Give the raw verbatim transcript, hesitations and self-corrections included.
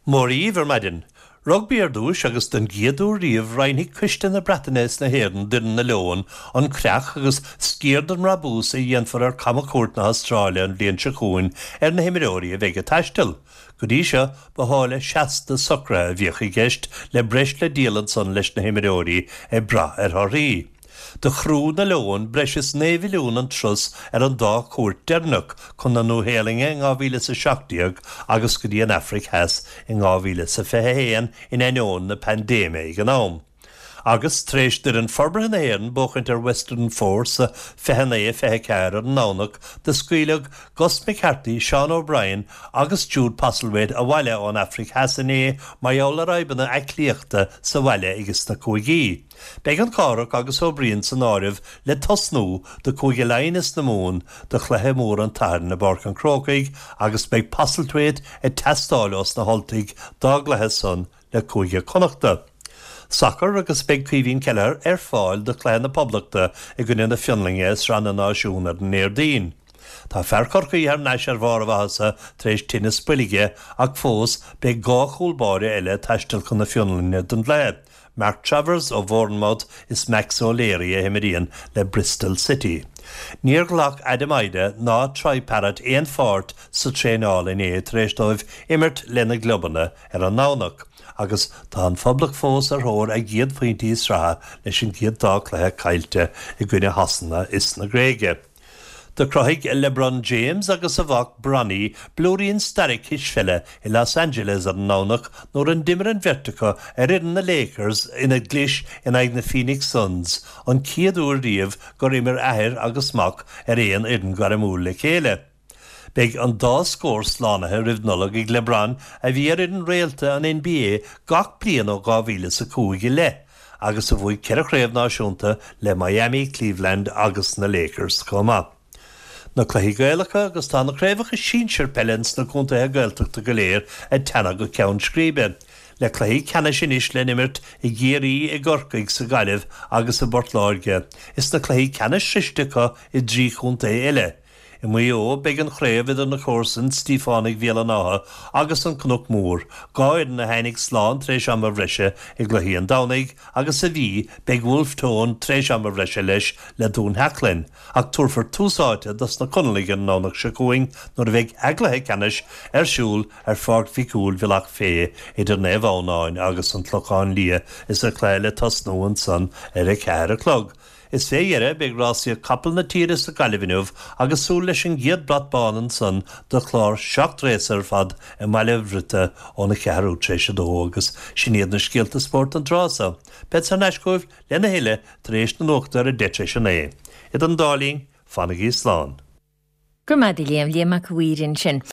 Mora dhaoibh ar maidin. Rugbaí ar dtús agus den gcéad uair riamh roinnfidh Coiste na Breataine is na hÉireann d'fhoireann na Leon an creach agus sciar den mbrabús a dhéanfar ar camchuairt na hAstráile an bhliain seo chugainn ar na himreoirí a bheidh ag taisteal. Go dtí seo ba tháille seasta socraithe a bhíodh i gceist le breis le díol ansan leis na himreoirí ag brath ar thorthaí. Do chrú na Leon breis is naoi mhilliún an turas ar an dá chuairt deireanach chun na Nua-Shéalainne in dhá mhíle is a seacht déag agus go dtí an Afraic Theas in dhá mhíle is a fiche haon in ainneoin na paindéime ag an am. Agus tar éis d'fhoireann forbartha na hÉireann buachaint ar Western Force fiche naoi fiche ceathair ar an nDomhnach do scaoileadh Gus McCarthy, Sean O'Brien agus Jude Postlethwaite abhaile ón Afraic Theas inné mar gheall ar fhadhbanna aclaíochta sa bhaile aige sna cúigí. Beidh an Cárthach agus Ó Briain san áireamh le tosnú do Chúige Laighean is na Mumhan do chluiche mór an tSathairn i bPáirc an Chrócaigh agus beidh Postlethwaite ag teastáil ós na hUltaigh dá gcluiche san le Cúige Connachta. Sacar agus beidh Caoimhín Kelleher ar fáil do chluiche na Poblachta i gcoinne na Fionlainne i Sraith na Náisiún ar an Déardaoin. Tá fear Chorcaí thar n-ais ar bharr a mhaitheasa tar éis tinneas boilge ach fós beidh dhá chúl báire eile ag taisteal chun na Fionlainne don gcluiche. Mark Travers ó Bhournemouth is Max O'Leary a imríonn le Bristol City. Níor ghlac Adam Idah ná Troy Parrott aon pháirt sa traenáil inné tar éis dóibh imirt lena gclubanna ar an nDomhnach, agus tá an Phoblacht fós ar thóir a gcéad phointí sraithe leis an gcéad dá chluiche caillte i gcoinne Shasana is na Gréige. Do chruthaigh LeBron James agus a mhac Bronny blúirín staire cispheile i Los Angeles ar an nDomhnach nuair a d'imir an bheirt acu ar fhoireann na Lakers ina gclis in aghaidh na Phoenix Suns an chéad uair riamh gur imir athair agus mac ar aon fhoireann gairmiúil le chéile. Beidh an dá scór slánaithe roimh Nollaig ag LeBron a bhí ar fhoireann réalta an NBA gach bliain ó dhá mhíle is a cúig i leith agus a bhuaigh ceithre chraobh náisiúnta le Miami, Cleveland agus na Lakers chomh maith. Na cluichí Gaelacha agus tá na craobhacha sinsir peile sna contaetha Gaeltachta go léir ag teannadh go ceann scríbe. Le cluichí ceannais anois le n-imirt i gCiarraí, i gCorcaigh, sa Ghaillimh agus i bPort Láirge, is na cluichí ceannais sroichte acu i dtrí chontae eile. I Maigh Eo, beidh an chraobh idir na comharsain, Stíofánaigh Bhéal an Átha agus an Cnoc Mór, dhá fhoireann a tháinig slán tar éis ama bhreise i gcluichí an Domhnaigh, agus sa Mhí, beidh Wolfe Tone tar éis ama bhreise leis le Dún Sheachlainn, ach tabharfar tús áite dos na Conallaigh ar an nDomhnach seo chugainn nuair a bheidh a gcluiche ceannais ar siúl ar Pháirc Mhic Cumhaill Bhealach Féich idir Naomh Adhamhnáin agus an Clochán Liath is an cluiche le tosnú ansan ar a ceathair a chlog. Is fé dheireadh, beidh rásaíocht capall na tíre sa Ghaillimh inniu agus súil leis an gcéad brat bán ansan do chlár seacht rása ar fad i mBaile Bhriotaigh óna cheathrú tar éis a dó agus sin iad na scéalta spóirt an tráth so. Bead thar n-ais chugaibh lena thuilleadh tar éis na nuachta ar a deich tar éis a naoi. Idir an dá linn, fanaigí slán. Go raibh maith agat Liam, Liam Mac a' Mhaoir ansin.